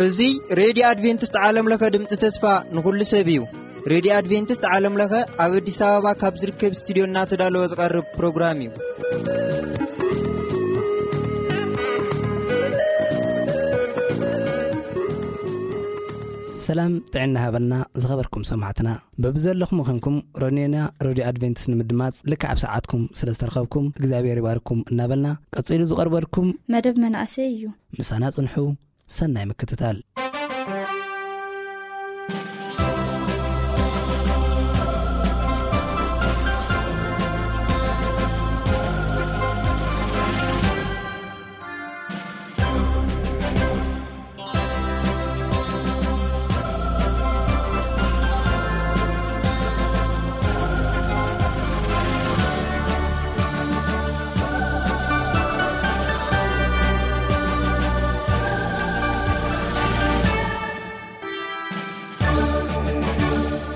እዚ ሬድዮ ኣድቬንቲስት ዓለም ለኸ ድምፂ ተስፋ ንኹሉ ሰብ እዩ። ሬድዮ ኣድቬንቲስት ዓለም ለኸ ኣብ ኣዲስ ኣበባ ካብ ዝርከብ ስቱዲዮ እናተዳለወ ዝቐርብ ፕሮግራም እዩ። ሰላም ጥዕና ሃበልና ዝኸበርኩም ሰማዕትና። በብዘለኹም ኾንኩም ሮኔና ሬድዮ ኣድቬንቲስት ንምድማፅ ልክዕ ኣብ ሰዓትኩም ስለ ዝተረኸብኩም እግዚኣብሔር ይባርኩም እናበልና፣ ቀፂሉ ዝቐርበልኩም መደብ መናእሰይ እዩ። ምሳና ጽንሑ። ሰናይ ምክትታል።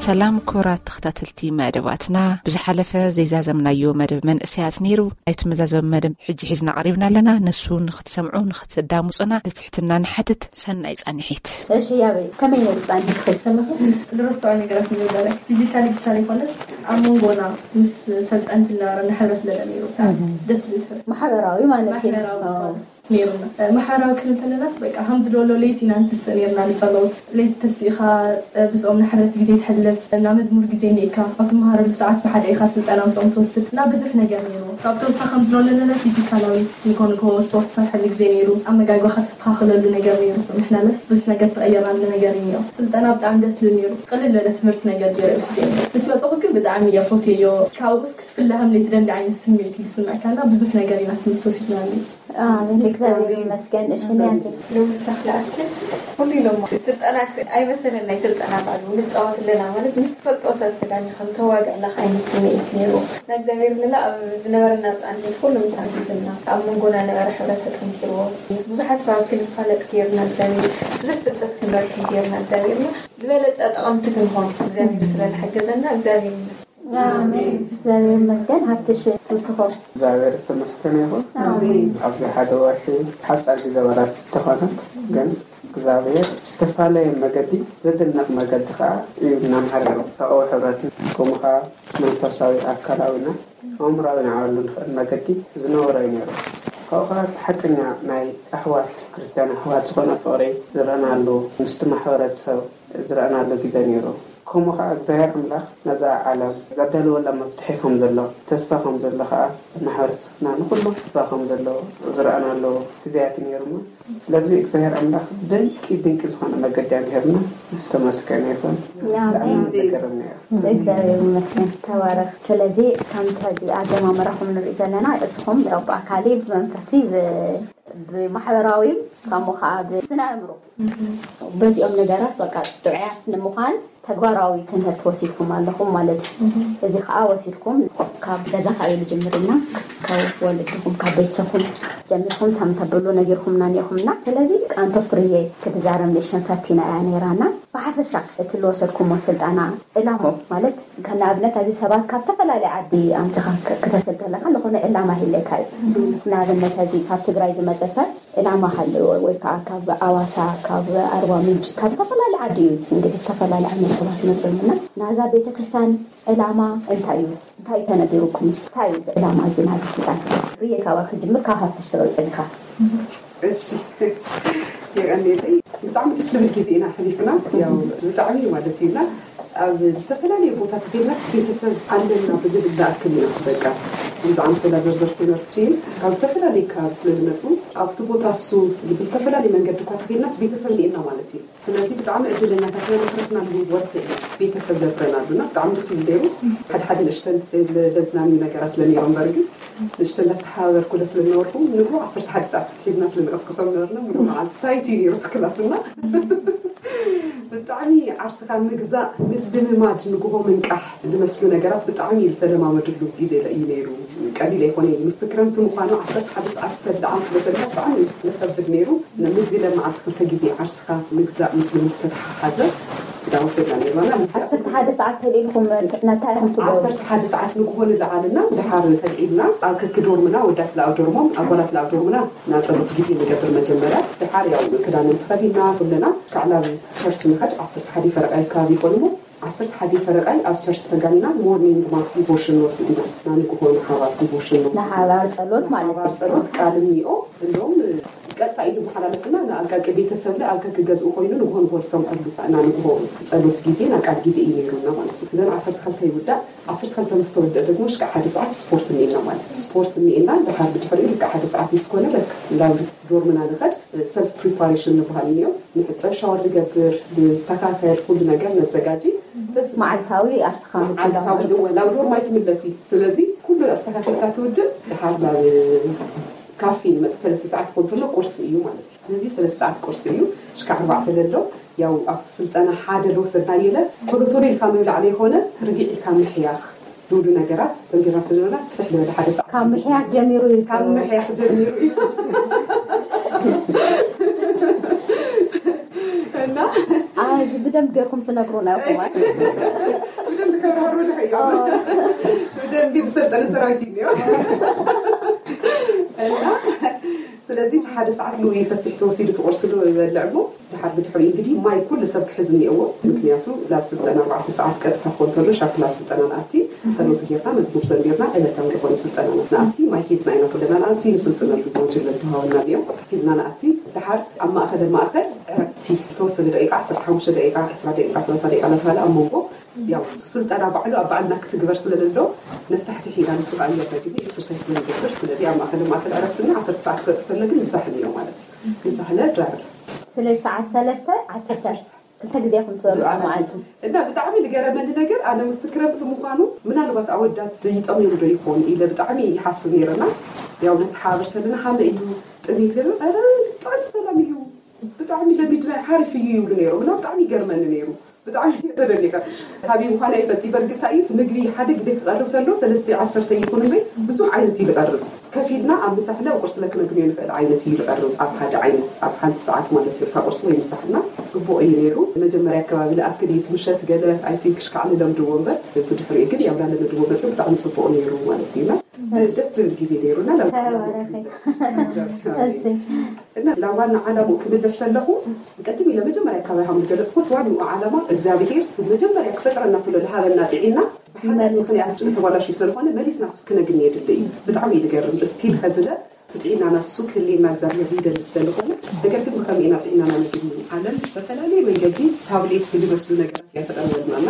ሰላም ክቡራት ተኸታተልቲ መደባትና፣ ብዝሓለፈ ዘይዛዘምናዮ መደብ መንእሰያት ነይሩ። ናይቲ መዛዘሚ መደብ ሕጂ ሒዝና ቀሪብና ኣለና። ንሱ ንኽትሰምዑ፣ ንኽትዳምፁና ብትሕትና ንሓትት። ሰናይ ጻንሒት። እሺ ያበይ፣ ከመይ ነይሩ ጻንሒት ትኸይድ ከለኹ? ዝረስዖ ነገራት ይነበረ። ፊዚካሊ ብቻ ዘይኮነስ ኣብ መንጎና ምስ ሰልጠንቲ ዝነበረና ሕብረት ለለ ነይሩ። ደስ ዝብል ሕብረት። ማሕበራዊ ማለት እዩ። ማሕበራዊ ኣዎ። ነይሩና። ማሕበራዊ ክንብል ከለናስ በቃ ከም ዝደሎ ለይቲ ኢና ንትስእ ነይርና ንጸሎት። ለይቲ ተሲእኻ ብዝኦም ንሕብረት ግዜ ትሕልፍ፣ እና መዝሙር ግዜ እኒእካ፣ ኣብ ትመሃረሉ ሰዓት ብሓደ ኢኻ ስልጠና ምስኦም ትወስድ፣ እና ብዙሕ ነገር ነይሩ። ካብ ተወሳኺ ከም ዝደሎ ለለ ፊዚካላዊ ንኮ ንኮ ስፖርት ትሰርሐሉ ግዜ ነይሩ። ኣመጋግባኻ ተስተኻኽለሉ ነገር ነይሩ። ንሕናለስ ብዙሕ ነገር ተቐየርናሉ ነገር እዩ ነይሩ። ስልጠና ብጣዕሚ ደስ ዝብል ነይሩ። ቅልል ዝበለ ትምህርቲ ነገር ገይረ ይወስድ እየ። ምስ መጸኹ ግን ብጣዕሚ እየ ፈትየዮ። ካብኡስ ክትፍለ ከም ዘይትደሊ ዓይነት ስምዒት እዩ ዝስምዐካ፣ እና ብዙሕ ነገር ኢና ትምህርቲ ወሲድናሉ። ኣሜን፣ እግዚኣብሔር ይመስገን። እሺ፣ ንያቴ። ንምሳኽ ለኣክል፣ ኩሉ ኢሎሞ፣ ስልጠና ኣይመሰለን፣ ናይ ስልጠና ባሉ ንጻወት ኣለና ማለት፣ ምስ ትፈልጦ ሰብ ተዳሚኻ፣ ከም ተዋግዕ ኣለኻ ዓይነት ስምዒት ነይሩ። ንእግዚኣብሔር ንላ ኣብ ዝነበረና ጻንሒት ኩሉ ምሳና ሒዝና፣ ኣብ መንጎና ነበረ ሕብረት ተጠንኪርዎ፣ ምስ ብዙሓት ሰባት ክንፋለጥ ገይርና እግዚኣብሔር፣ ብዙሕ ፍልጠት ክንረክብ ገይርና እግዚኣብሔርና፣ ዝበለጸ ጠቐምቲ ክንኾን እግዚኣብሔር ስለ ዝሓገዘና እግዚኣብሔር ይመስገን። ኣሜን። እግዚኣብሔር ይመስገን። ሃብትሽ ትውስኾ። እግዚኣብሔር ዝተመስገነ ይኹን። ኣሜን። ኣብዚ ሓደ ወርሒ ሓጻር ግዜ ዋላ ተኾነት፣ ግን እግዚኣብሔር ብዝተፈላለየ መገዲ ዘደንቕ መገዲ ኸዓ እዩ እናምሃረና። ተቐዊ ሕብረትን ከምኡ ኸዓ መንፈሳዊ ኣካላዊና ኣእምራዊ ንዓበሉ ንኽእል መገዲ ዝነበሮ እዩ ነይሩ። ካብኡ ኸዓ እቲ ሓቀኛ ናይ ኣሕዋት ክርስትያን ኣሕዋት ዝኾነ ፍቕሪ ዝረኣናሉ ምስቲ ማሕበረሰብ ዝረኣናሉ ግዜ ነይሩ። ከምኡ ኸዓ እግዚኣብሔር ኣምላኽ ነዛ ዓለም ዘዳለወላ መፍትሒ ከም ዘሎ፣ ተስፋ ከም ዘሎ ኸዓ ማሕበረሰብና ንኹሉ ተስፋ ከም ዘሎ ዝረኣናሉ ግዜያት ነይሩ እሞ፣ ስለዚ እግዚኣብሔር ኣምላኽ ድንቂ ድንቂ ዝኾነ መገዲ ኣምሂርና ዝተመስገነ ይኹን። ኣሜን። ብጣዕሚ ተገረምና ኢና። እግዚኣብሔር ይመስገን። ተባረኽ። ስለዚ ከምቲ ሕዚ ኣጀማምራኹም ንርኢ ዘለና እስኹም ያው ብኣካሊ ብመንፈሲ ብ- ብማሕበራዊም ከምኡ ከዓ ብስነ ኣእምሮ በዚኦም ነገራት በቃ ጥዑያት ንምዃን ተግባራዊ ትምህርቲ ወሲድኩም ኣለኹም ማለት እዩ። እዚ ከዓ ወሲድኩም ካብ ገዛኻ እዩ ዝጅምርና ካብ ወለድኹም ካብ ቤተሰብኩም ጀሚርኩም ታም ተብሉ ነጊርኩምና እኒኹምና። ስለዚ ኣንቶ ፍርየ ክትዛረብ ንእሽተን ፈቲና እያ ነይራና። ብሓፈሻ እቲ ዝወሰድኩሞ ስልጠና ዕላሞ ማለት ከም ንኣብነት እዚ ሰባት ካብ ተፈላለየ ዓዲ ኣምፅኻ ክ- ክተሰልጥን ኣለካ ዝኾነ ዕላማ ይህለካ እዩ። ንኣብነት እዚ ካብ ትግራይ ዝመፀ ሰብ ዕላማ ሃለዎ ወይ ከዓ ካብ ኣዋሳ ካብ ኣርባ ምንጭ ካብ ዝተፈላለየ ዓዲ እዩ እንግዲህ ዝተፈላለየ ዓይነት ሰባት መፅኦምና ናዛ ቤተክርስትያን ዕላማ እንታይ እዩ እንታይ ተነጊሩኩም እንታይ እዩ እዚ ዕላማ እዚ ናዚ ስልጣን ርየ ካባኪ ጅምር ካብ ሃብትሽ ትቐፅልካ እሺ የቀኒለይ ብጣዕሚ ደስ ዝብል ግዜ ኢና ሕሊፍና ያው ብጣዕሚ ማለት እዩና ኣብ ዝተፈላለዩ ቦታ ተገናስ ቤተሰብ ኣለና ብዝብል ዝኣክል ኢና በቃ ብዛዕባ ተላ ዘርዘር ኮይነርኩ ካብ ዝተፈላለዩ ከባቢ ስለ ዝመፁ ኣብቲ ቦታ እሱ ብዝተፈላለየ መንገዲ እኳ ተገናስ ቤተሰብ ኒኤና ማለት እዩ ስለዚ ብጣዕሚ ዕድለኛታት ኢና መክረትና ወርሒ ቤተሰብ ነብረና ኣሉና ብጣዕሚ ደስ ይብል ነይሩ ሓደ ሓደ ንእሽተን ለዝናኒ ነገራት ለነይሮም በርግጥ ንእሽተን እንዳተሓባበርኩ ለስለ ዝነበርኩ ንግሆ ዓሰርተ ሓደ ሰዓት ሒዝና ስለ ንቀስቅሶም ነበርና ሙሉእ መዓልቲ ታይት እዩ ነይሩ እቲ ክላስና ብጣዕሚ ዓርስኻ ምግዛእ ምልምማድ ንግሆ ምንቃሕ ዝመስሉ ነገራት ብጣዕሚ ዝተለማመድሉ ግዜ እዩ ነይሩ ቀሊል ኣይኮነን ምስቲ ክረምቲ ምዃኑ ዓሰርተ ሓደ ሰዓት ተብልዓ ክትበልዕ ብጣዕሚ ለኸብድ ነይሩ ምግቢ ለመዓልቲ ክልተ ግዜ ዓርስኻ ምግዛእ ምስ ልምዲ ተተሓሓዘ ዳወሰድና ነርና። ዓሰርተ ሓደ ሰዓት ተልኢልኩም እንታይ ኢኹም ትገብሩ? ዓሰርተ ሓደ ሰዓት ንግሆ ንለዓልና፣ ድሓር ተልዒልና ኣብ ከክዶርምና፣ ወዳት ለኣብ ዶርሞም ኣጓላት ለኣብ ዶርምና ናጸሎት ግዜ ንገብር። መጀመርያ ድሓር ያው ክዳንን ተኸዲና ኩለና ካዕላብ ቸርች ንኸድ። ዓሰርተ ሓደ ፈረቃይ ከባቢ ይኾንሞ ዓሰርተ ሓደ ፈረቃይ ኣብ ቸርች ተጋኒና ሞርኒንግ ማስ ዲቮሽን ንወስድ ኢና። ናንግሆ ንሓባር ዲቮሽን ንወስድ ኢና። ንሓባር ጸሎት ማለት ሓባር ጸሎት ቃል እኒኦ። እንደውም ቀጥታ ኢሉ መሓላለፍና ንኣጋቂ ቤተሰብለ ኣብ ከክገዝኡ ኮይኑ ንግሆ ንግሆ ዝሰምዐሉ። ናንግሆ ጸሎት ግዜ ናቃል ግዜ እዩ ነይሩና ማለት እዩ። እዘን ዓሰርተ ክልተ ይውዳእ። ዓሰርተ ክልተ ምስ ተወደእ ደግሞ ሽካዕ ሓደ ሰዓት ስፖርት እኒኤና ማለት እዩ። ስፖርት እኒኤና ድሓር ብድሕሪኡ ልክዕ ሓደ ሰዓት ምስ ኮነ በቃ ናብ ዶርምና ንኸድ። ሰልፍ ፕሪፓሬሽን ንበሃል እኒኦ። ንሕፀብ፣ ሻወር ንገብር፣ ንስተካከል፣ ኩሉ ነገር ነዘጋጂ። መዓልታዊ ኣብ ስኻ መዓልታዊ እወ ናብ ዶርም ኣይትምለሲ። ስለዚ ኩሉ ኣስተካከልካ ትውድእ። ድሓር ናብ ካፌ ንመፅእ። ሰለስተ ሰዓት ክኾን ተሎ ቁርሲ እዩ ማለት እዩ። ስለዚ ሰለስተ ሰዓት ቁርሲ እዩ። ሽካ ኣርባዕተ ለሎ ያው ኣብቲ ስልጠና ሓደ ለወሰድና የለ ቶሎ ቶሎ ኢልካ ምብላዕ ለይኮነ ርግዕ ኢልካ ምሕያኽ ዝብሉ ነገራት ተንቢርና ስለዘለና ስፍሕ ልበለ ሓደ ሰዓት ካብ ምሕያኽ ጀሚሩ እዩ ካብ ምሕያኽ ጀሚሩ እዩ። እና እዚ ብደንብ ገርኩም ትነግሩና ኢኹም። ብደንብ ከብርሃሩ ንኸዮ ብደንብ ብሰልጠነ ሰራዊት እዩ እኒኦ። እና ስለዚ እቲ ሓደ ሰዓት ንኡ ሰፊሕ ተወሲዱ ትቆርሲ ዶ ይበልዕ እሞ ድሓር ብድሕሪ እንግዲህ ማይ ኩሉ ሰብ ክሕዝ እኒኦዎ። ምክንያቱ ላብ ስልጠና ኣርባዕተ ሰዓት ቀጥታ ክኾን ተሎ ሻርፕ ላብ ስልጠና ንኣቲ ጸሎት ጌርና መዝሙር ዘሚርና ዕለታዊ ዝኾነ ስልጠና ንኣቲ ማይ ሒዝና ኢና ኩለና ንኣቲ ንስልጥነሉ ሞጁል ለተሃወና እዮም ሒዝና ንኣቲ ድሓር ኣብ ማእኸለ ማእኸል ዕረፍቲ ተወሰነ ደቂቃ ዓሰርተ ሓሙሽተ ደቂቃ ዕስራ ደቂቃ ሰላሳ ደቂቃ እናተባለ ኣብ መንጎ ያው ስልጠና ባዕሉ ኣብ ባዕልና ክትግበር ስለለሎ መፍታሕቲ ሒና ንጹህ ኣየር ደግኒ ኤክሰርሳይዝ ስለንገብር ስለዚ ኣብ ማእኸለ ማእኸል ዕረፍትና ዓሰርተ ሰዓት ክበፅሕ ተሎ ግን ምሳሕ እኒኦ ማለት እዩ። ምሳሕለ ድራር ስለዚ ሰዓት ሰለስተ ዓሰርተ ክልተ ግዜ ኢኹም ትበልዑ ኣብ መዓልቲ። እና ብጣዕሚ ዝገረመኒ ነገር ኣነ ውስቲ ክረምቲ ምዃኑ ምናልባት ኣወዳት ይጠምዮም ዶ ይኾን ኢለ ብጣዕሚ ይሓስብ ነይረና። ያው ነተሓባበር ከለና ሃመ እዩ ጥሜት ገለ ረ ብጣዕሚ ሰላም እዩ ብጣዕሚ ለሚድና ሓሪፍ እዩ ይብሉ ነይሮም እና ብጣዕሚ ይገርመኒ ነይሩ። ብጣዕሚ ተደኒቐ። ሃቢ ምዃና ይፈቲ በርግታ እዩ እቲ ምግቢ ሓደ ግዜ ክቐርብ ተሎ ሰለስተ ዓሰርተ ይኹን እምበይ ብዙሕ ዓይነት እዩ ዝቐርብ። ከፊልና ኣብ ምሳሕለ ቁርሲ ለክነግንዮ ንኽእል ዓይነት እዩ ዝቐርብ ኣብ ሓደ ዓይነት ኣብ ሓንቲ ሰዓት ማለት እዩ እታ ቁርሲ ወይ ምሳሕና። ጽቡቕ እዩ ነይሩ። መጀመርያ ኣከባቢ ለኣክል እዩ እቲ ምሸት ገለ ኣይ ቲንክ ሽካዕ ንለምድዎ እምበር ብድሕሪኡ ግን ያው ላለመድዎ መጽኡ ብጣዕሚ ጽቡቕ ነይሩ ማለት እዩና። ደስ ዝብል ግዜ ነይሩና። ተባረኸ። እሺ እና ናብ ዋና ዓላምኡ ክምለስ ዘለኹ ቅድም ኢለ መጀመርያ ኣከባቢ ሃም ዝገለጽኩት ዋንኡ ዓላማ እግዚኣብሄር መጀመርያ ክፈጥረና ትሎ ዝሃበና ጥዒና ብሓጢኣት ምኽንያት ተባላሽዩ ስለዝኾነ መሊስና እሱ ክነግኒ የድሊ እዩ። ብጣዕሚ እዩ ዝገርም ስቲል ከዝለ እቲ ጥዒናና እሱ ክህልየና እግዚኣብሄር ይደሊ ስለዝኾነ ነገር ግን ብኸመይ ኢና ጥዒናና ነግኒ? ዓለም ብዝተፈላለየ መንገዲ ታብሌት ብዝመስሉ ነገራት እያ ተቐርበልና እና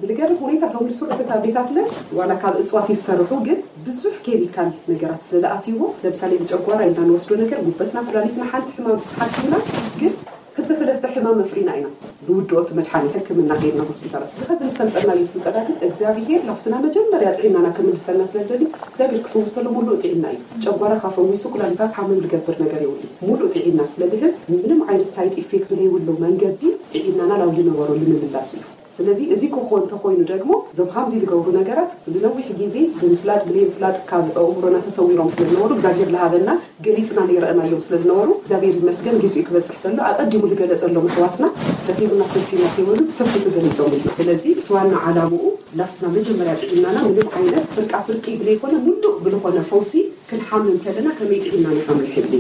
ብዝገርም ሁኔታ እቶም ዝስርሑ ታብሌታት ለ ዋላ ካብ እፅዋት ይሰርሑ ግን ብዙሕ ኬሚካል ነገራት ስለዝኣትይዎ ለምሳሌ ብጨጓራ ኢልና ንወስዶ ነገር ጉበትና ኩላሊትና ሓንቲ ሕማም ሓኪምና ግን ክልተ ሰለስተ ሕማም መፍሪና ኢና ንውድኦ እቲ መድሓኒት ሕክምና ከይድና ሆስፒታላት እዚ ከዚ ዝሰልጠናዮ ስልጠና ግን እግዚኣብሄር ናብትና መጀመርያ ጥዒናና ክምልሰና ስለደሊ እግዚኣብሄር ክፍውሰሉ ሙሉእ ጥዒና እዩ ጨጓራኻ ፈዊሱ ኩላሊትካ ሓመም ዝገብር ነገር የብሉ ሙሉእ ጥዒና ስለዝህብ ምንም ዓይነት ሳይድ ኢፌክት ዘይብሉ መንገዲ ጥዒናና ናብ ዝነበረሉ ምምላስ እዩ ስለዚ እዚ ክኾን እንተኾይኑ ደግሞ እዞም ሃምዚ ዝገብሩ ነገራት ንነዊሕ ግዜ ብምፍላጥ ብለይምፍላጥ ካብ ኣእምሮና ተሰዊሮም ስለዝነበሩ እግዚኣብሄር ዝሃበና ገሊፅና ዘይረእናዮም ስለዝነበሩ እግዚኣብሔር ይመስገን ግዚኡ ክበፅሕ ተሎ ኣቀዲሙ ዝገለፀሎም ኣሕዋትና ደኺሙና ሰልችዩና ከይበሉ ብሰፊሑ ገሊፆምልና። ስለዚ እቲ ዋና ዓላምኡ ናብትና መጀመርያ ጥዒናና ምንም ዓይነት ፍርቃ ፍርቂ ብለይኮነ ሙሉእ ብልኾነ ፈውሲ ክንሓምም ከለና ከመይ ጥዒናና ከም ንሕሊ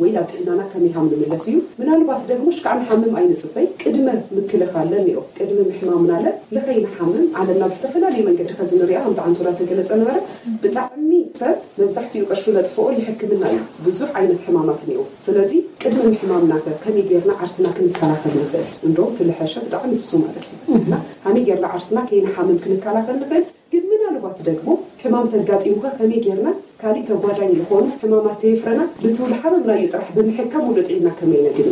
ወይ ናብ ጥዕናና ከመይ ሃም ንምለስ እዩ። ምናልባት ደግሞ ሽካዕ ንሓምም ኣይንፅበይ ቅድመ ምክልኻል ለኒኦ ቅድሚ ምሕማምና ለ ለኸይንሓምም ዓለምና ብዝተፈላለየ መንገዲ ከዚ ንሪኣ ከምቲ ዓንቶላ ተገለፀ ነበረ ብጣዕሚ ሰብ መብዛሕትኡ ቅርሹ ለጥፍኦ ልሕክምና እዩ። ብዙሕ ዓይነት ሕማማት እኒኦ። ስለዚ ቅድሚ ምሕማምና ከ ከመይ ጌርና ዓርስና ክንከላኸል ንኽእል? እንደውም ትልሐሸ ብጣዕሚ እሱ ማለት እዩ። እና ከመይ ጌርና ዓርስና ከይንሓምም ክንከላኸል ንኽእል? ግን ምናልባት ደግሞ ሕማም ተጋጢሙኸ ከመይ ጌርና ካሊእ ተጓዳኝ ዝኾኑ ሕማማት ተየፍረና ልትውል ሓመምናዮ ጥራሕ ብምሕካም ሙሉእ ጥዒና ከመይ ነግኒ?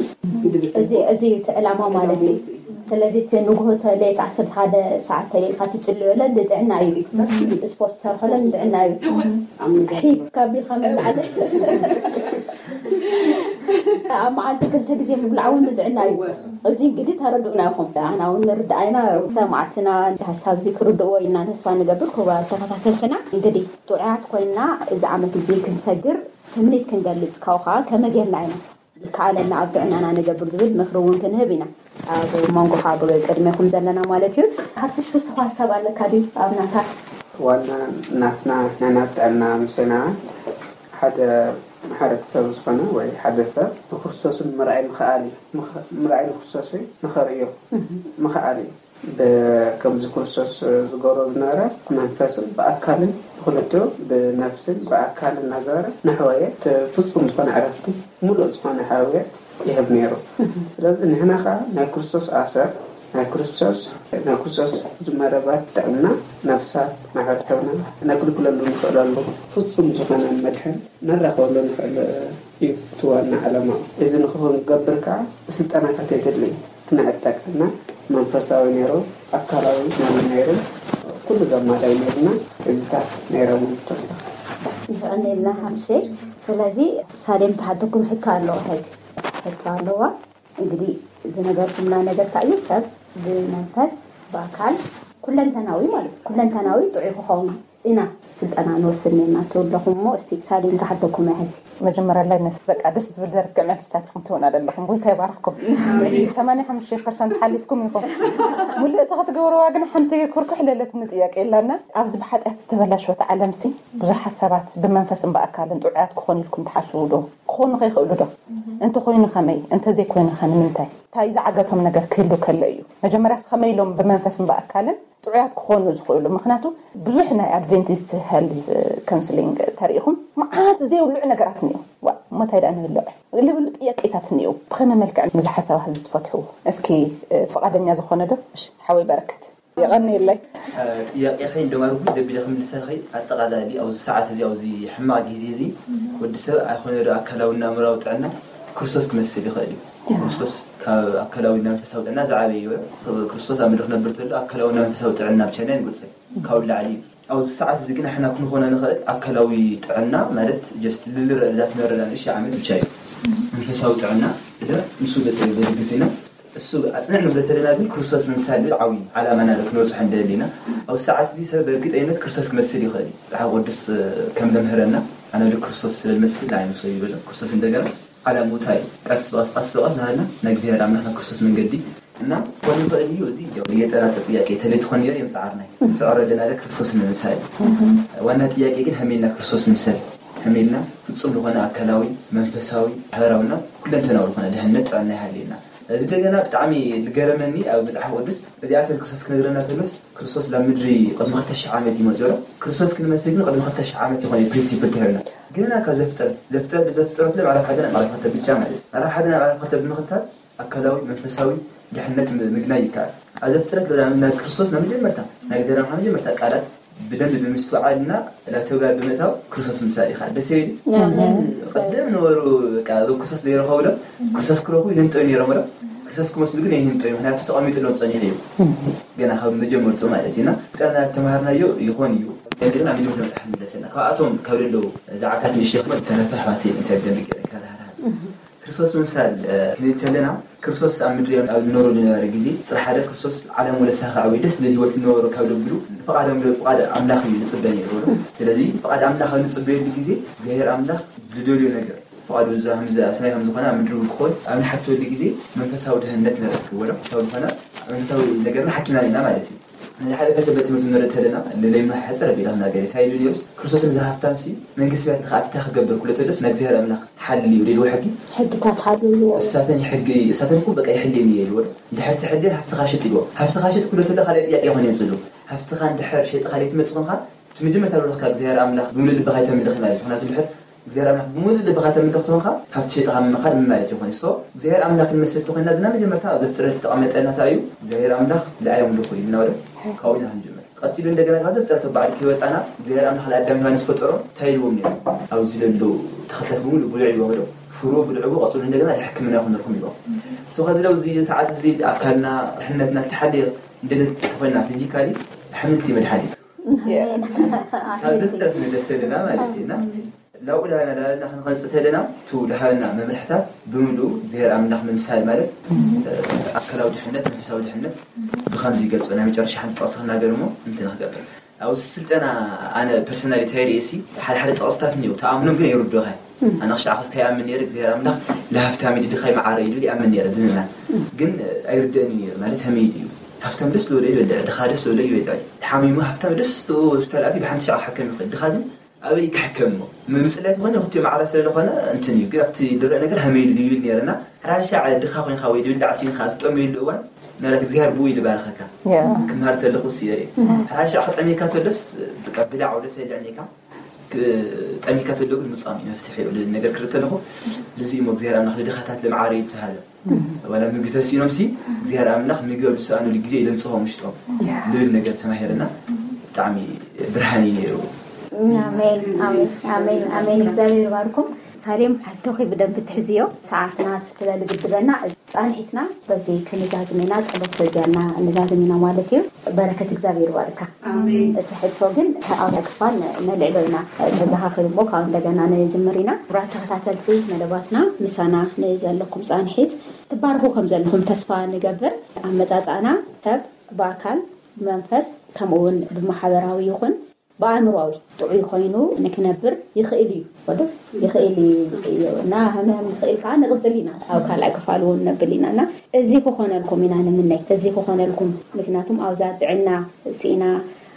እዚ እዩ እቲ ዕላማ ማለት እዩ። ስለዚ እቲ ንግሆ ተለየት ዓሰርተ ሓደ ሰዓት ተለይልካ ትፅልዮለ ንጥዕና እዩ። ስፖርት ትሰርሖለ ንጥዕና እዩ። ሒፍ ካቢልካ ምብላዕለ ኣብ መዓልቲ ክልተ ግዜ ምብላዕ እውን ንጥዕና እዩ። እዚ እንግዲህ ተረድኡና ኢኹም። ኣና እውን ንርዳእ ኢና። ሰማዕትና እቲ ሓሳብ እዚ ክርድእዎ ኢና ተስፋ ንገብር። ክቡራት ተኸታተልትና እንግዲህ ጥዑያት ኮይንና እዚ ዓመት እዚ ክንሰግር ትምኒት ክንገልፅ ካብኡ ከዓ ከመይ ጌርና ኢና ዝከኣለና ኣብ ጥዕናና ንገብር ዝብል ምኽሪ እውን ክንህብ ኢና። ኣብ መንጎኻ ብቅድሜኹም ዘለና ማለት እዩ። ሓፍትሽ ውስኻ ሀሳብ ኣለካ ድዩ ኣብ ናታ? ዋና ናትና ናይ ናብ ጥዕና ምሰና ሓደ ማሕበረተሰብ ዝኾነ ወይ ሓደ ሰብ ንክርስቶስን ምርኣይ ምኽኣል እዩ። ምኽ- ምርኣይ ንክርስቶስ ንኸርእዮ ምኽኣል እዩ። ከምዚ ክርስቶስ ዝገብሮ ዝነበረ ብመንፈስን ብኣካልን ብክልቲኡ ብነፍስን ብኣካልን እናገበረ ንሕወየ ፍፁም ዝኾነ ዕረፍቲ ሙሉእ ዝኾነ ሕውየት ይህብ ነይሩ። ስለዚ ንሕና ከዓ ናይ ክርስቶስ ኣሰር ናይ ክርስቶስ ናይ ክርስቶስ ዝመረባት ጥዕና ነፍሳት ማሕበረሰብና ነግልግለሉ ንኽእለሉ ፍፁም ዝኾነ መድሕን ነራኸበሉ ንኽእል እዩ እቲ ዋና ዓላማ። እዚ ንክገብር ከዓ ስልጠናታት የድሊ። ክነዕጠቅና መንፈሳዊ ነይሩ ኣካላዊ ነይሩ ነይሩ ኩሉ ዘማላይ ነይሩና እዚታት ነይሮም ተወሰ ይፍዕነልና ሓፍቴ። ስለዚ ሳሌም ተሓተኩም ሕቶ ኣለዋ። ሕዚ ሕቶ ኣለዋ። እንግዲህ ዝነገርኩምና ነገር እንታይ እዩ? ሰብ ብመንፈስ ብኣካል ኩለንተናዊ ማለት ኩለንተናዊ ጥዑይ ክኸውን ኢና ስልጠና ንወስድ ነርና ትብለኹም እሞ እስቲ ሳሌም ዝሓተኩም እያ ሕዚ። መጀመርያ ላይ ነስ በቃ ደስ ዝብል ደርክ መልስታት ኢኹም ትህቡና ዘለኹም። ጎይታ ይባርኽኩም። ሰማንያ ሓሙሽተ ፐርሰንት ሓሊፍኩም ኢኹም። ሙልእቲ ክትገብርዋ ግን ሓንቲ ኩርኩሕ ለለትኒ ጥያቄ የላና። ኣብዚ ብሓጢኣት ዝተበላሸወት ዓለምሲ ብዙሓት ሰባት ብመንፈስን ብኣካልን ጥዑያት ክኾኑ ኢልኩም ትሓስቡ ዶ? ክኾኑ ከይኽእሉ ዶ? እንተኾይኑ ከመይ? እንተዘይኮይኑ ከ ንምንታይ? እንታይ ዝዓገቶም ነገር ክህሉ ከሎ እዩ? መጀመርያስ ከመይ ኢሎም ብመንፈስን ብኣካልን ጥዑያት ክኾኑ ዝኽእሉ? ምክንያቱ ብዙሕ ናይ ኣድቨንቲስት ሄልዝ ካውንስሊንግ ተሪኢኹም መዓት ዘይብልዑ ነገራት እኒኦ። ዋ እሞ እንታይ ደኣ ንብልዕ ልብሉ ጥያቄታት እኒኦ። ብኸመይ መልክዕ ነዚ ሓሳባት እዚ ትፈትሕዎ? እስኪ ፍቓደኛ ዝኾነ ዶ? እሺ ሓወይ በረከት። የቐንየለይ። ጥያቄ ከይ እንደማርኩ ደቢለ ክምልሰ ከይ ኣጠቓላሊ ኣብዚ ሰዓት እዚ ኣብዚ ሕማቕ ግዜ እዚ ወዲ ሰብ ኣይኮነ ዶ ኣካላዊ እና ኣእምራዊ ጥዕና ክርስቶስ ክመስል ይኽእል እዩ። ክርስቶስ ካብ ኣካላዊ እና መንፈሳዊ ጥዕና ዝዓበየ እዩ። ክርስቶስ ኣብ ምድሪ ክነብር ተሎ ኣካላዊ እና መንፈሳዊ ጥዕና ብቻ ኢና ንጎጽል ካብኡ ላዕሊ እዩ። ኣብዚ ሰዓት እዚ ግን ንሕና ክንኾኖ ንኽእል ኣካላዊ ጥዕና ማለት just ልልረእ እዛ ትነረዳ ንእሽተይ ዓመት ብቻ እዩ። መንፈሳዊ ጥዕና እለ ንሱ ዘጸ ዘድግፍ ኢና እሱ ኣጽንዕ ንብሎ ተለና ግን ክርስቶስ ምምሳል ዝብል ዓብዪ ዓላማ ኢና ክንበጽሖ እንደሊ ኢና። ኣብዚ ሰዓት እዚ ሰብ በእርግጠኝነት ክርስቶስ ክመስል ይኽእል እዩ። መጽሓፍ ቅዱስ ከም ዘምህረና ኣነ ልክርስቶስ ስለ ዝመስል ንዓይ ምስሎ ይብል ክርስቶስ። እንደገና ዓላምኡ እንታይ እዩ? ቀስ ብቐስ ቀስ ብቐስ ናሃልና ናይ እግዚኣብሔር ኣምላኽ ናብ ክርስቶስ መንገዲ እና ኮን ይኽእል እዩ። እዚ የጠራጥር ጥያቄ ተለይ ትኾን ነይሩ የምጽዓርና እዩ። ንጽዕሮ ኣለና ለ ክርስቶስ ንምምሳል እዩ። ዋና ጥያቄ ግን ሃሜልና ክርስቶስ ንምሰል ሃሜልና ፍጹም ዝኾነ ኣካላዊ መንፈሳዊ ማሕበራዊና ኩለንተናዊ ዝኾነ ድሕነት ጥዕና ይሃልየና። እዚ እንደገና ብጣዕሚ ዝገረመኒ ኣብ መጽሓፍ ቅዱስ እዚኣተን ክርስቶስ ክነግረና ተሎስ ክርስቶስ ናብ ምድሪ ቅድሚ ክልተ ሽሕ ዓመት እዩ መፅኡ። ክርስቶስ ክንመስል ግን ቅድሚ ክልተ ሽሕ ዓመት ይኾነ ፕሪንሲፕል ተሂብና። ገና ካብ ዘፍጥረት ዘፍጥረት ዘፍጥረት ምዕራፍ ሓደ ናብ ምዕራፍ ክልተ ብቻ ማለት እዩ። ምዕራፍ ሓደ ናብ ምዕራፍ ክልተ ብምኽታል ኣካላዊ መንፈሳዊ ድሕነት ምግናይ ይከኣል። ኣብ ዘፍጥረት ናብ ክርስቶስ ናብ መጀመርታ ናይ እግዚኣብሔር መጀመርታ ቃላት ብደንብ ብምስትውዓልና ናብ ተግባር ብምእታው ክርስቶስ ምሳሌ ይኸኣል። ደስ ይብል። ቅድም ነበሩ በቃ እዞም ክርስቶስ ዘይረኸቡ ሎም ክርስቶስ ክረኽቡ ይህንጠዩ ነይሮም ሎም ክርስቶስ ክመስሉ ግን ይህንጠዩ። ምክንያቱ ተቐሚጥሎም ጸኒሑ እዩ። ገና ካብ መጀመርቱ ማለት እዩና ጠና ተማሃርናዮ ይኾን እዩ። ግን ኣብ መጀመርታ መጽሓፍ ንመለሰና ካብኣቶም ካብ ደለዉ ዛዕታት ንእሽተይ ክመ ተረፈ ኣሕዋት እንታይ ብደንብ ገይረ ክተዛሃርሃር ክርስቶስ ምምሳል ክንብል ከለና ክርስቶስ ኣብ ምድሪ ኣብ ዝነበረሉ ዝነበረ ግዜ ፅሪ ሓደ ክርስቶስ ዓለም ወለሳኻ ወይ ደስ ዝብል ህይወት ዝነበሮ ካብ ደብሉ ፍቓድ ኣምለ ፍቓድ ኣምላኽ እዩ ዝፅበ ነይሩ። ስለዚ ፍቓድ ኣምላኽ ኣብ ንፅበየሉ ግዜ እግዚኣብሔር ኣምላኽ ዝደልዮ ነገር ፍቓዱ እዛ ከምዚ ኣብ ሰማይ ከም ዝኾነ ኣብ ምድሪ እውን ክኾን ኣብ ንሓተወሉ ግዜ መንፈሳዊ ድህነት ንረክብ ወላ መንፈሳዊ ዝኾነ መንፈሳዊ ነገርና ሓኪምና ኢና ማለት እዩ። ንሓለፈ ሰንበት ትምህርቲ ንርኢ ተለና ለለይማ ሕፅር ኣቢለ ክናገር እዩ። እንታይ ኢሉ ነይሩስ ክርስቶስ ነዚ ሃብታምሲ መንግስቲ ሰማያት ንክኣቲ እንታይ ክገብር ክብሎ ተሎስ ናይ እግዚኣብሔር ኣምላኽ ሓልዩ ኢልዎ ሕጊ ሕግታት ሓልዩ እሳተን ሕጊ እሳተን እኮ በቃ ይሕልየን እየ ኢልዎ። እንድሕር ትሕልየን ሃብትኻ ሽጥ ኢልዎ። ሃብትኻ ሽጥ ክብሎ ተሎ ካልኣይ ጥያቄ ይኾን የምፅሉ። ሃብትኻ እንድሕር ሸጥኻ ለይትመፅእ ኮንካ እቲ መጀመርታ ልብኻ እግዚኣብሔር ኣምላኽ ብምሉእ ልብኻ ኣይተምልኽ ማለት እዩ። ምክንያቱ እንድሕር እግዚኣብሔር ኣምላኽ ብምሉእ ልብኻ ተምልኽ ተኾንካ ሃብቲ ሸጥኻ ምምኻል ምን ማለት ይኾን? ሶ እግዚኣብሔር ኣምላኽ ክንመስል ተኾይና ዝና መጀመርታ ኣብ ዘፍጥረት ዝተቐመጠልና እንታይ እዩ? እግዚኣብሔር ኣምላኽ ንኣይ ኣምልኹ ኢልና ወደ ካብኡ ኢና ክንጅምር። ቀፂሉ እንደገና ካብ ዘፍጥረት ባዕሉ ከይወፃና እግዚኣብሔር ኣምላኽ ንኣዳም ዮሃንስ ፈጠሮም እንታይ ኢልዎም ነይሩ? ኣብዚ ለሎ ተኽልታት ብምሉእ ብልዑ ኢልዎም ዶ? ፍሩ ብልዕዎ ቀፅሉ እንደገና ሕክምና ይኹነልኩም ኢልዎም። ሶ ከዚ ለው እዚ ሰዓት እዚ ኣካልና ድሕነትና ዝተሓለየ እንደነት ተኾይና ፊዚካሊ ኣሕምልቲ መድሓኒት ካብ ዘፍጥረት ንደስ ዘለና ማለት እዩ እና ናብኡ ዳና ዳና ክንኸንፅ ተለና ቱ ለሃበና መምርሕታት ብምሉ እግዚኣብሔር ኣምላኽ ምምሳል ማለት ኣካላዊ ድሕነት መንፈሳዊ ድሕነት ብከምዚ ይገልፆ ናይ መጨረሻ ሓንቲ ጠቕሲ ክናገር እሞ እንትን ክገብር ኣብዚ ስልጠና ኣነ ፐርሰናሊ እንታይ ርእሲ ሓደ ሓደ ጠቕስታት እኒው ተኣምኖም ግን ኣይርድኻይ ኣነ ክሻዕ ክስተ ይኣምን ነይረ እግዚኣብሔር ኣምላኽ ለሃብታም ኢሉ ድኻይ መዓረ ኢሉ ይኣምን ነይረ ድምና ግን ኣይርደኒ ነይሩ ማለት ከመይ ድዩ ሃብታም ደስ ዝበሎ ይበልዕ ድኻ ደስ ዝበሎ ይበልዕ ተሓሚሙ ሃብታም ደስ ተላእቲ ብሓንቲ ሻዕ ክሓከም ይኽእል ድኻ ግን ኣበይ ክሕከም እሞ ምምፅላይ ዝኾነ ክትዮ መዓረ ስለ ዝኾነ እንትን እዩ ግን ኣብቲ ድረእ ነገር ከመይ ኢሉ ይብል ነይረና ሓራሻዕ ድኻ ኮይንካ ወይ ድብል ዳዕሲንካ ዝጠመየሉ እዋን ምናልባት እግዚኣብሔር ብኡ ይልባርኸካ ክምሃር ተለኹ ስየ ሓራሻዕ ክጠሜካ ተሎስ ብቃ ብላዕ ወደ ትበልዕ ኔካ ጠሚካ ተሎ ግን ምጻም እዩ መፍትሒ እዩ ልብል ነገር ክርኢ ተለኹ ልዚ እሞ እግዚኣብሔር ኣምላኽ ልድኻታት ልምዓረ እዩ ዝተሃለ ዋላ ምግቢ ተሲኖም ሲ እግዚኣብሔር ኣምላኽ ምግቢ ኣብ ዝሰኣኑሉ ግዜ ኢለ ንጽሆም ውሽጦም ልብል ነገር ተማሂርና ብጣዕሚ ብርሃን እዩ ነይሩ ኣሜን ኣሜን ኣሜን ኣሜን እግዚኣብሔር ይባርኩም ሳሌም ሕቶኺ ብደንብ ትሕዝዮ ሰዓትና ስለ ልግድበና ጻንሒትና በዚ ክንዛዝም ኢና ጸሎት በዚያና ንዛዝም ኢና ማለት እዩ በረከት እግዚኣብሔር ይባርካ እቲ ሕቶ ግን ኣብ ክፋል ነልዕሎ ኢና ተዘኻኽር እሞ ካብ እንደገና ንጅምር ኢና ክቡራት ተኸታተልቲ መደባትና ምሳና ንዘለኩም ጻንሒት ትባርኹ ከም ዘለኹም ተስፋ ንገብር ኣመጻጽኣና ሰብ ብኣካል ብመንፈስ ከምኡ እውን ብማሕበራዊ ይኹን ብኣእምሮዊ ጥዑይ ኮይኑ ንክነብር ይኽእል እዩ ወዶ ይኽእል እዩ እና ህምህም ንኽእል ከዓ ንቕፅል ኢና ኣብ ካልኣይ ክፋል እውን ነብል ኢና እና እዚ ክኾነልኩም ኢና ንምነይ እዚ ክኾነልኩም ምክንያቱም ኣብዛ ጥዕና ስኢና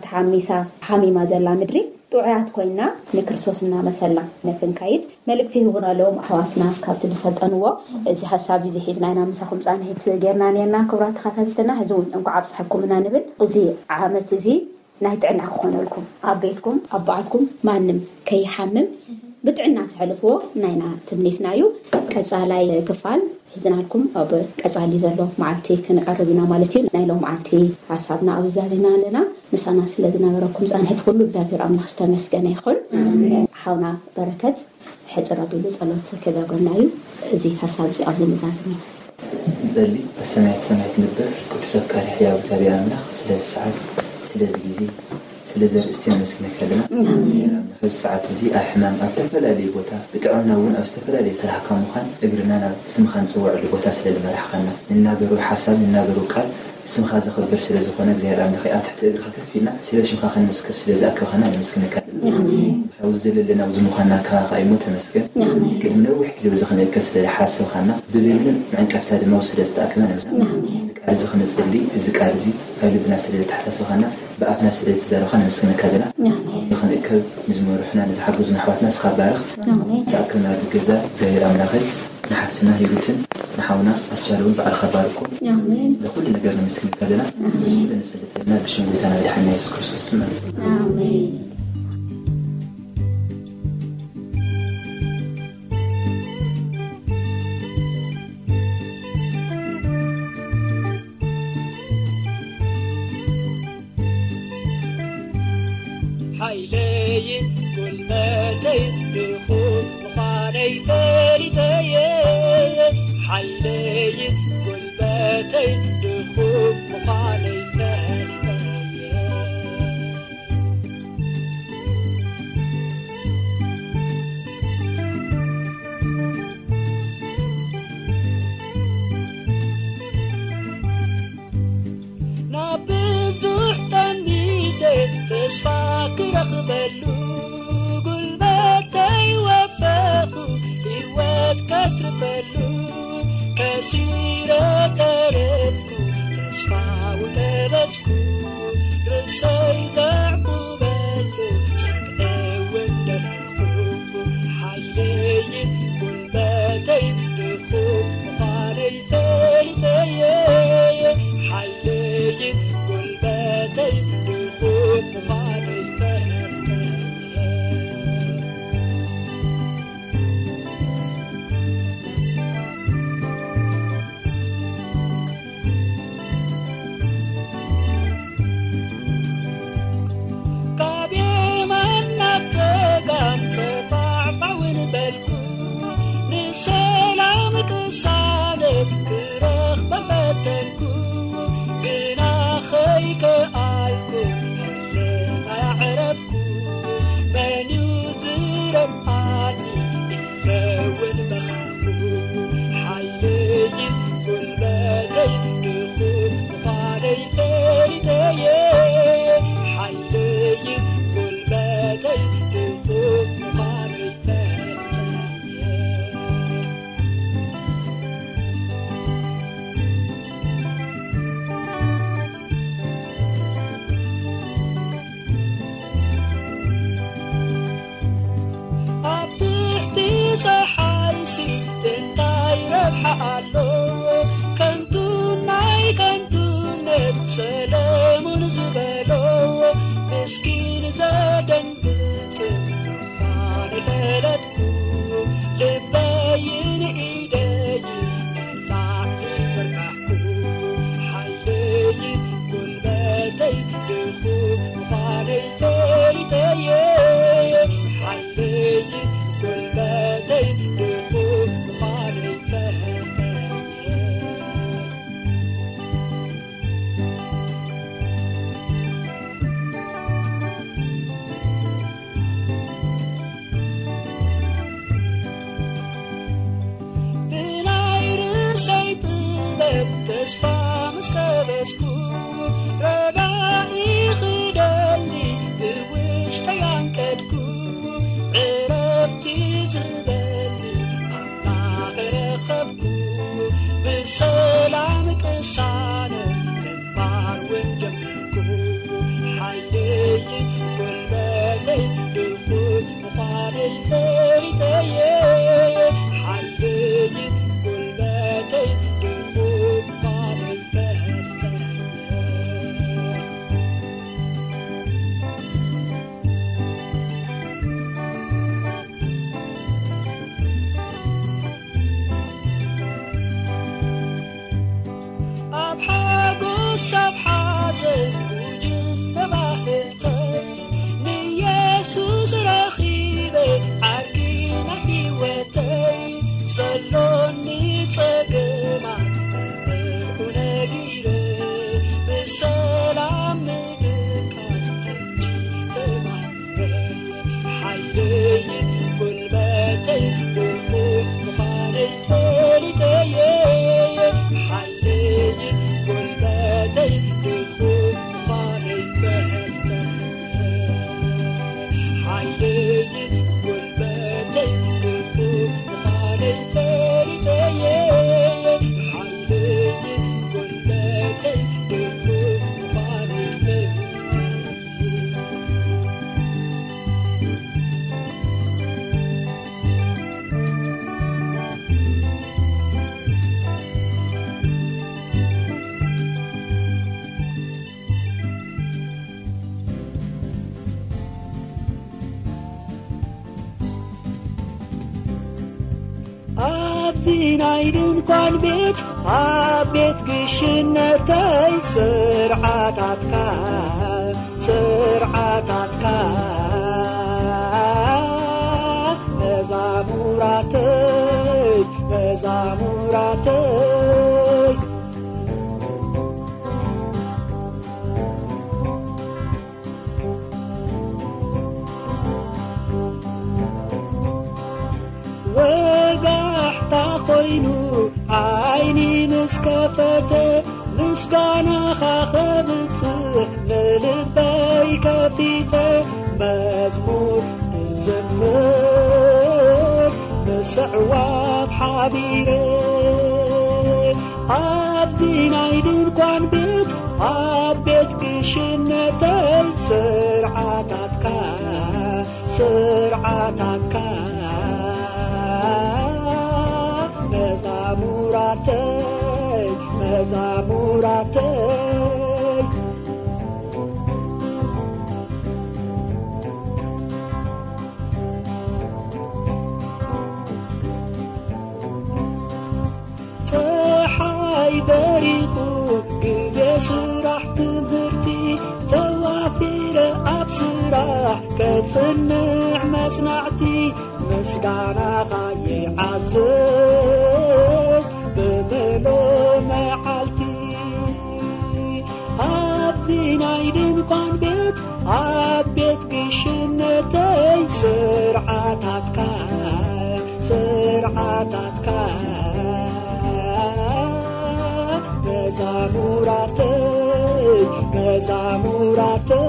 ተሓሚሳ ሓሚማ ዘላ ምድሪ ጥዑያት ኮይና ንክርስቶስ እናመሰልና ንክንከይድ መልእክቲ ይህቡና ኣለዎም ኣሕዋትና ካብቲ ዝሰልጠንዎ እዚ ሓሳብ እዚ ሒዝና ኢና ምሳኹም ፃንሒት ጌርና ነርና ክቡራት ተኸታተልትና ሕዚ እውን እንኳዕ ኣብፅሐኩም ኢና ንብል እዚ ዓመት እዚ ናይ ጥዕና ክኾነልኩም ኣብ ቤትኩም ኣብ በዓልኩም ማንም ከይሓምም ብጥዕና ትሕልፍዎ ናይና ትምኒትና እዩ ቀፃላይ ክፋል ሒዝናልኩም ኣብ ቀፃሊ ዘሎ መዓልቲ ክንቀርብ ኢና ማለት እዩ ናይ ሎም መዓልቲ ሓሳብና ኣብ ዛዚና ኣለና ምሳና ስለ ዝነበረኩም ፃንሕት ኩሉ እግዚኣብሔር ኣምላኽ ዝተመስገነ ይኹን ሓውና በረከት ሕፅር ኣቢሉ ጸሎት ክገብረና እዩ። እዚ ሓሳብ እዚ ኣብዚ ንዛዝም ኢና። ንጸሊ። ኣሰማያት ሰማይ ትንበር፣ ቅዱስ ኣፍቃሪ ሕያው እግዚኣብሔር ኣምላኽ፣ ስለዚ ሰዓት፣ ስለዚ ግዜ፣ ስለዚ ኣርእስቲ ነመስግነካ ኣለና። ኣብዚ ሰዓት እዚ ኣብ ሕማም ኣብ ዝተፈላለዩ ቦታ ብጥዕና እውን ኣብ ዝተፈላለዩ ስራሕ ካብ ምዃን እግርና ናብ ስምኻ ንፅውዐሉ ቦታ ስለ ዝመራሕኻና ንናገሩ ሓሳብ ንናገሩ ቃል ስምኻ ዘኽብር ስለ ዝኾነ እግዚኣብሔር ኣምላኸይ ኣብ ትሕቲ እግርኻ ከፍ ኢልና ስለ ሽምኻ ክንምስክር ስለ ዝኣከብኻና ነመስግነካ ኣለና። ኣብዚ ዘለለና ኣብዚ ምዃንና ካባኻ እዩ እሞ ተመስገን። ቅድሚ ነዊሕ ግዜ በዚ ክንእከብ ስለ ዝሓሰብኻና ብዘይ ምንም መዕንቀፍታ ድማ ኣብዚ ስለ ዝተኣከብና ነመስግን። እዚ ቃል እዚ ክነጽሊ እዚ ቃል እዚ ኣብ ልብና ስለ ዘተሓሳስብኻና ብኣፍና ስለ ዝተዛረብካ ነመስግነካ ኣለና። ኣብዚ ክንእከብ ንዝመርሑና ንዝሓገዙና ኣሕዋትና ንስኻ ባርኽ። ዝተኣከብናሉ ገዛ እግዚኣብሔር ኣምላኸይ ንሓፍትና ሂሩትን ንሓውና ኣስቻለውን በዓልካ ባርኮም። ስለኩሉ ነገር ነመስግነካ ኣለና። እዚ ኩሉ ንጽሊ ዘለና ብሽም ጎይታና መድሓኒና የሱስ ክርስቶስ ስም ኣሜን። ሓይለይን ጉልበተይን ድኹም ምዃነይ ፈሊጠየ። ሓይለይን ጉልበተይን ድኹም ምዃነይ ፈሊጠየ። ናብ ብዙሕ ጠሚተ ተስፋ ክረኽበሉ ጉልበተይ ወፈኹ ህይወት ከትርፈሉ ከሲረ ተረፍኩ ተስፋ ውቀበጽኩ ርእሰይ ዘዕቁበሉ ጸግዒ እውን ደለኹ ሓይለይን ጉልበተይ ድኹም ምዃነይ ፈሊጠየ ሓይለይን ጉልበተይ ድኹም ምዃነይ ፈሊጠየ ካብ የማን ናብ ጸጋም ጸፋዕፋውን በልኩ ንሰላም ቅሳነት ክረኽበ ፈተንኩ ግና ኸይከኣልኩ ህልም ኣያዕረፍኩ መን እዩ ዝረምኣኒ ኢለውን በኻኹ ሓይለይን ጉልበተይ ድኹም ምዃነይ ፈሊጠየ ሓይለይን ጉልበተይ ድኹም ምዃነይ ፈሊጠየ ኣሎ። ከንቱ ናይ ከንቱነት ሰለሙን ዝበሎ፣ ምስኪን ዘደንግጽ እኳ ንፈለጥኩ፣ ልበይን ኢደይን ንላዕሊ ዘርጋሕኩ፣ ሓይለይን ጉልበተይ ድኹም ምዃነይ ፈሊጠየ። ሓይለይን ጉልበተይ ድኹም ምዃነይ ፈሊጠየ። ብናይ ርእሰይ ጥበብ ተስፋ ምስ ቀበስኩ፣ ረጋኢ ክደሊ ብውሽጠይ ኣንቀድኩ። ዕረፍቲ ዝህበኒ ኣምላኽ ረኸብኩ። ብሰላም ቅሳነት ምንባር እውን ጀመርኩ። ሓይለይን ጉልበተይ ድኹም ምዃነይ ፈሊጠየ። ሓይለይን ጉልበተይ ድኹም ምዃነይ ፈሊጠየ። ኣብ ሓጎስ ኣብ ሓዘን ውጅብ መባህርተይ፣ ንየሱስ ረኺበ ዓርኪ ናይ ህይወተይ። ዘሎኒ ጸገማት ብኡ ነጊረ፣ ብሰላም ምድቃስ ሕጂ ተማሂረ። ሓይለይን ጉልበተይ ድኹም ምዃነይ ፈሊጠየ። ሓይለይን ጉልበተይ ድኹም ምዃነይ ፈሊጠየ። ሓይለይን ጉልበተይ ድኹም ምዃነይ ፈሊጠየ። ሓይለይን ጉልበተይ ድኹም ምዃነይ ፈሊጠየ። ኣብዚ ናይ ድንኳን ቤት፣ ኣብ ቤት ግሽነተይ፣ ስርዓታትካ፣ ስርዓታትካ፣ መዛሙራተይ፣ መዛሙራተይ። ወጋሕታ ኮይኑ ዓይኒ ምስ ከፈተ፣ ምስጋናኻ ከብጽሕ ንልበይ ከፊተ፣ መዝሙር እዝምር ምስዕዋብ ሓቢረ። ኣብዚ ናይ ድንኳን ቤት፣ ኣብ ቤት ግሽነተይ፣ ስርዓታትካ፣ ስርዓታትካ፣ መዛሙራተይ፣ መዛሙራተይ። ጸሓይ በሪቑ፣ ግዜ ስራሕ ትምህርቲ፣ ተዋፊረ ኣብ ስራሕ፣ ከጽንዕ መጽናዕቲ፣ ምስጋናኻ ይዓዝዝ ብምሉእ መዓልቲ። ኣብዚ ናይ ድንኳን ቤት፣ ኣብ ቤት ግሽነተይ፣ ስርዓታትካ፣ ስርዓታትካ፣ መዛሙራተይ፣ መዛሙራተይ።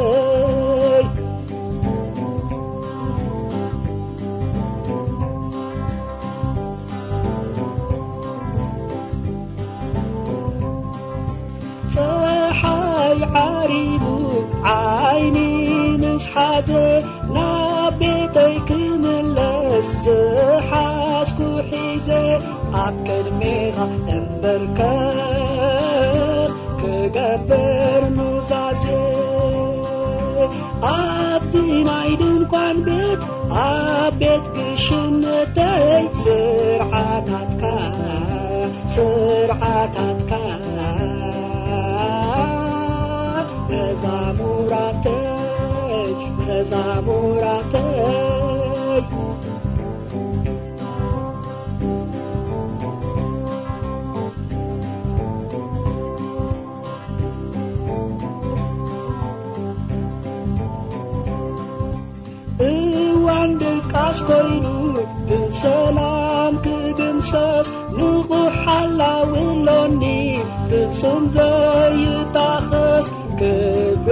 ጸሓይ ዓሪቡ ዓይኒ ምስ ሓዘ፣ ናብ ቤተይ ክምለስ ዝሓዝኩ ሒዘ ኣብ ቅድሜኻ እምበርከኽ ክገብር ኑዛዜ። ኣብዚ ናይ ድንኳን ቤት፣ ኣብ ቤት ግሽነተይ ስርዓታትካ፣ ስርዓታትካ መዛሙራተይ፣ መዛሙራተይ። እዋን ድቃስ ኮይኑ ብሰላም ክድምሰስ፣ ንቑሕ ሓላዊ ኣሎኒ ፍጹም ዘይጣኸስ። ክብሪ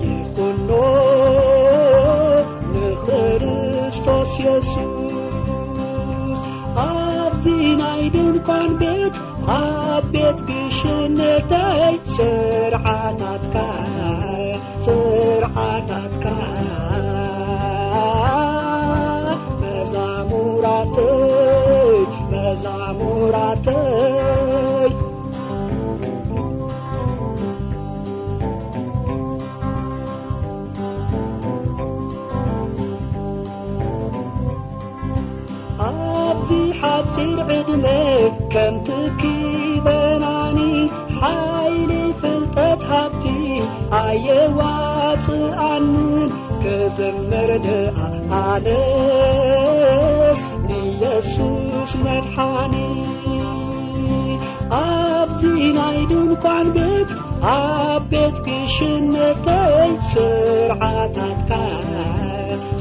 ይኹኖ ንክርስቶስ የሱስ። ኣብዚ ናይ ድንኳን ቤት፣ ኣብ ቤት ግሽነተይ ስርዓታትካ፣ ስርዓታትካ መዛሙራተይ፣ መዛሙራተይ። ኣብዚ ሓጺር ዕድመ ከም ትኪ በናኒ፣ ሓይሊ ፍልጠት ሃብቲ ኣየዋጽኣንን፣ ክዝምር ደኣ ኣነስ ንየሱስ መድሓኒ። ኣብዚ ናይ ድንኳን ቤት፣ ኣብ ቤት ግሽነተይ ስርዓታትካ፣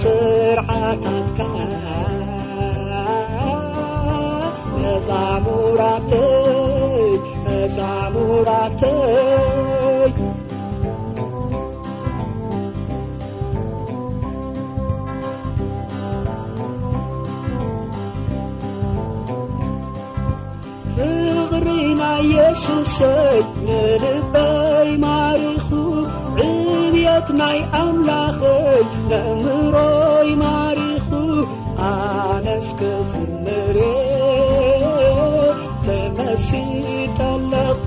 ስርዓታትካ መዛሙራተይ፣ መዛሙራተይ። ፍቕሪ ናይ የሱሰይ ንልበይ ማሪኹ፣ ዕብየት ናይ ኣምላኸይ ነእምሮይ ማሪኹ፣ ኣነስ ክዝምር እየ ተመሲጠ ኣለኹ።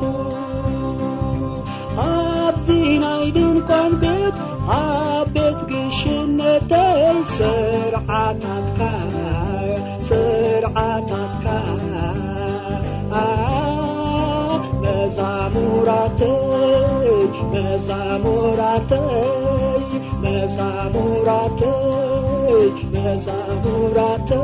ኣብዚ ናይ ድንኳን ቤት፣ ኣብ ቤት ግሽነተይ ስርዓታትካ፣ ስርዓታትካ መዛሙራተይ፣ መዛሙራተይ፣ መዛሙራተይ፣ መዛሙራተይ።